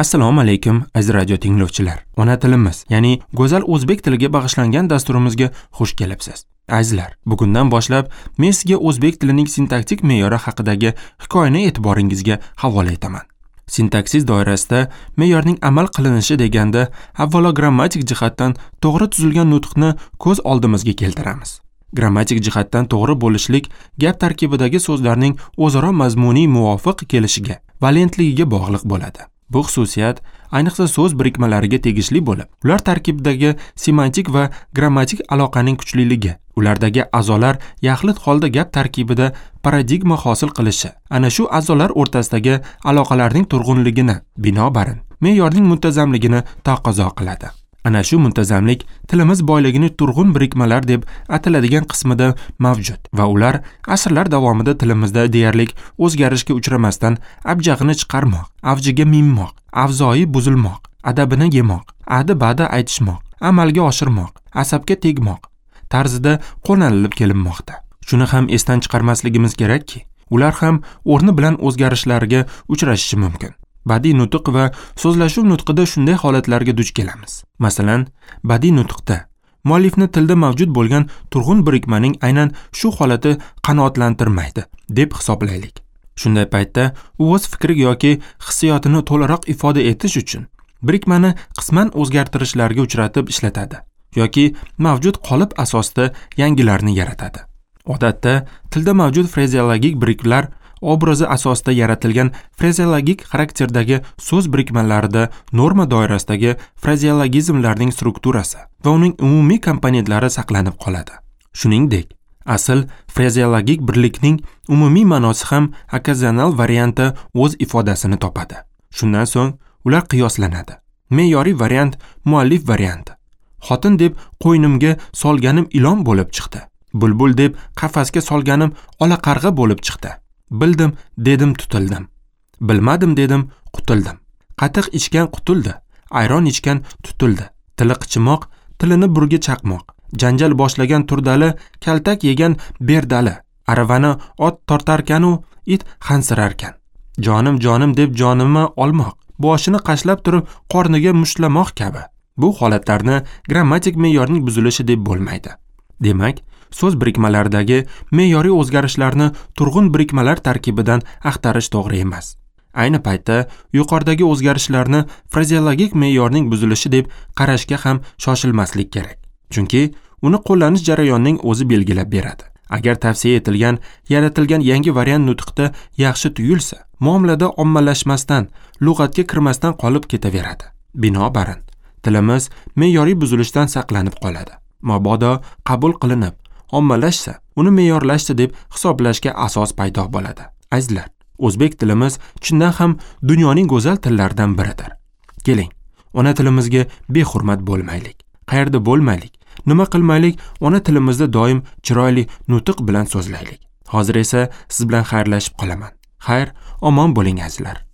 Assalomu alaykum, aziz radio tinglovchilar. Ona tilimiz, ya'ni go'zal o'zbek tiliga bag'ishlangan dasturimizga xush kelibsiz. Azizlar, bugundan boshlab men sizga o'zbek tilining sintaktik me'yori haqidagi hikoyani e'tiboringizga havola etaman. Sintaksis doirasida me'yorning amal qilinishi deganda avvalo grammatik jihatdan to'g'ri tuzilgan nutqni ko'z oldimizga keltiramiz. Grammatik jihatdan to'g'ri bo'lishlik gap tarkibidagi so'zlarning o'zaro mazmuniy muvofiq kelishiga, valentligiga bog'liq bo'ladi. Bu xususiyat ayniqsa so'z birikmalariga tegishli bo'lib, ular tarkibidagi semantik va grammatik aloqaning kuchliligi, ulardagi a'zolar yaxlit holda gap tarkibida paradigma hosil qilishi, ana shu a'zolar o'rtasidagi aloqalarning turg'unligini, binobarin, me'yorning muntazamligini taqozo qiladi. Ana shu muntazamlik tilimiz boyligini turg'un birikmalar deb ataladigan qismida mavjud va ular asrlar davomida tilimizda deyarli o'zgarishga uchramasdan abjag'ini chiqarmoq, avjiga minmoq, avzoyi buzilmoq, adabini yemoq, adi-badi aytishmoq, amalga oshirmoq, asabga tegmoq tarzida qo'llanilib kelinmoqda. Shuni ham esdan chiqarmasligimiz kerakki, ular ham o'rni bilan o'zgarishlarga uchrashishi mumkin. Badiiy nutq va so'zlashuv nutqida shunday holatlarga duch kelamiz. Masalan, badiiy nutqda muallifni tilda mavjud bo'lgan turg'un birikmaning aynan shu holati qanoatlantirmaydi deb hisoblaylik. Shunday paytda u o'z fikri yoki hissiyotini to'laroq ifoda etish uchun birikmani qisman o'zgartirishlarga uchratib ishlatadi yoki mavjud qolip asosida yangilarni yaratadi. Odatda tilda mavjud frazeologik biriklar obrazi asosida yaratilgan frazeologik xarakterdagi so'z birikmalarida norma doirasidagi frazeologizmlarning strukturasi va uning umumiy komponentlari saqlanib qoladi. Shuningdek, asl frazeologik birlikning umumiy ma'nosi ham okazional variantda o'z ifodasini topadi. Shundan so'ng ular qiyoslanadi. Me'yoriy variant muallif varianti. Xotin deb qo'ynimga solganim ilon bo'lib chiqdi. Bulbul deb qafasga solganim ola qarg'a bo'lib chiqdi. Bildim, dedim, tutildim. Bilmadim, dedim, qutildim. Qatiq ichgan qutuldi, ayron ichgan tutildi. Tili qichimoq, tilini burga chaqmoq. Janjal boshlagan Turdali, kaltak yegan Berdali. Aravani ot tortarkan-u, it hansirarkan. Jonim, jonim deb jonimni olmoq, boshini qashlab turib qorniga mushtlamoq kabi. Bu holatlarni grammatik me'yorning buzilishi deb bo'lmaydi. Demak, so'z birikmalaridagi me'yoriy o'zgarishlarni turg'un birikmalar tarkibidan axtarish to'g'ri emas. Ayni paytda yuqoridagi o'zgarishlarni frazeologik me'yorning buzilishi deb qarashga ham shoshilmaslik kerak. Chunki uni qo'llanish jarayonining o'zi belgilab beradi. Agar tavsiya etilgan, yaratilgan yangi variant nutqda yaxshi tuyulsa, muomalada ommalashmasdan, lug'atga kirmasdan qolib ketaveradi. Binobarin, tilimiz me'yoriy buzilishdan saqlanib qoladi. Mabodo qabul qilinib, ommalashsa, uni me'yorlashdi deb hisoblashga asos paydo bo'ladi. Azizlar, o'zbek tilimiz chindan ham dunyoning go'zal tillaridan biridir. Keling, ona tilimizga behurmat bo'lmaylik. Qayerda bo'lmaylik, nima qilmaylik, ona tilimizda doim chiroyli nutq bilan so'zlaylik. Hozir esa siz bilan xayrlashib qolaman. Xayr, omon bo'ling azizlar.